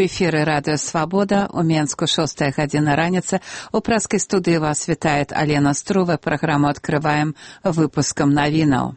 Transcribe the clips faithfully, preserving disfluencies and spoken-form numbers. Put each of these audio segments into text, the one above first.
У эфіры радыё «Свабода», у Менску шостая гадзіна раніцы. У праскай студыі вас вітает Алена Струва. Праграму адкрываем выпускам навінаў.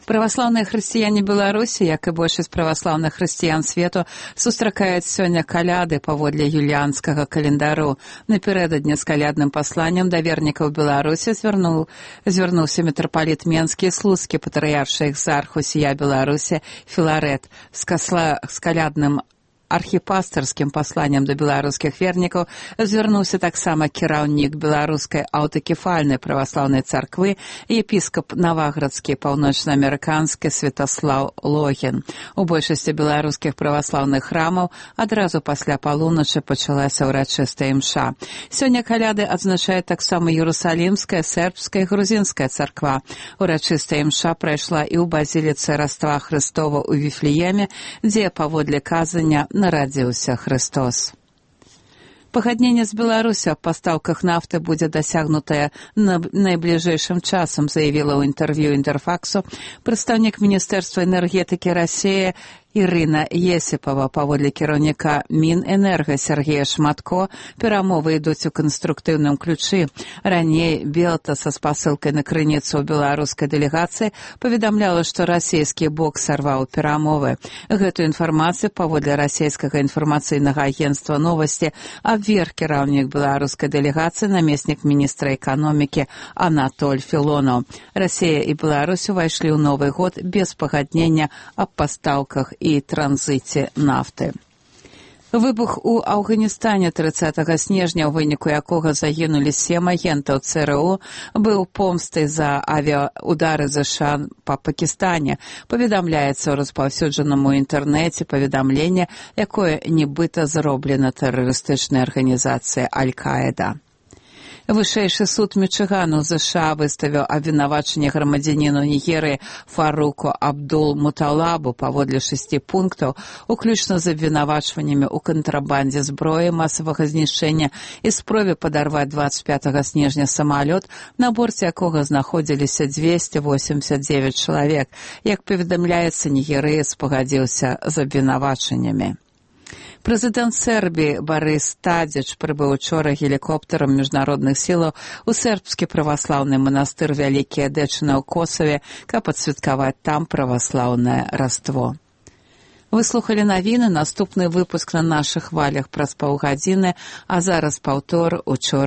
Праваслаўныя хрысціяне Беларусі, як і большасць праваслаўных хрысціян свету, сустракаюць сёння каляды паводле юліанскага календару. Напярэдадні з калядным пасланнем да вернікаў Беларусі звярнуў, звярнуўся мітрапаліт Менскі і Слуцкі, патрыяршы экзарх усія Беларусі Філарэт. З, касла, з калядным архіпастырскім пасланнем да беларускіх вернікаў звярнуўся таксама кіраўнік беларускай аўтакефальнай праваслаўнай царквы епіскап Наваградскі паўночнаамерыканскі Святаслаў Логін. У большасці беларускіх праваслаўных храмаў адразу пасля палуначы пачалася ўрачыстая імша. Сёння каляды адзначае таксама Іерусалімская, сербская і грузінская царква. Урачыстая імша прайшла і ў базіліцы Раства Хрыстова ў Віфлееме, дзе паводле казання нарадзіўся Христос. Пагадненне з Беларусю аб пастаўках нафты будзе дасягнутае найбліжэйшым часам, заявіла ў інтэрв'ю Інтэрфаксу прадстаўнік Міністэрства энергетыкі Расіі Ірына Есіпава. Паводле кіраўніка Мінэнерга Сергея Шматко, перамовы ідуць у канструктыўным ключы. Раней Белта са спасылкай на крыніцу ў беларускай дэлегацыі паведамляла, што расійскі бок сарваў перамовы. Гэтую інфармацыю паводле расійскага інфармацыйнага агенцтва «Новасці» абверг кіраўнік беларускай дэлегацыі, намеснік міністра эканомікі Анатоль Філонаў. Расія і Беларусь увайшлі ў новы год без пагаднення аб пастаўках і транзіце нафты. Выбух у Афганістане трыццатага снежня, у выніку якога загінулі сем агентаў ЦРУ, быў помстай за авіаудары ЗША па Пакістане. Паведамляецца ў распаўсюджаным у інтэрнэце паведамленне, якое нібыта зроблена тэрарыстычнай арганізацыяй Аль-Каіда. Вышэйшы суд Мічыгану ЗША выставіў абвінавачанне грамадзяніну Нігерыі Фаруку Абдул-Муталабу паводле шасці пунктаў, уключна з абвінавачваннямі ў кантрабандзе зброі масавага знішчэння і спробе падарваць дваццаць пятага снежня самалёт, на борце якога знаходзіліся дзвесце восемьдзесят девять чалавек. Як паведамляецца, нігерыец пагадзіўся з абвінавачаннямі. Прэзідэнт Сербіі Барыс Тадзіч прыбыў учора гелікоптарам міжнародных сілаў у сербскі праваслаўны манастыр Вялікія Дэчыны ў Косаве, каб адсвяткаваць там праваслаўнае раство. Вы слухалі навіны, наступны выпуск на нашых хвалях праз паўгадзіны, а зараз паўтор учора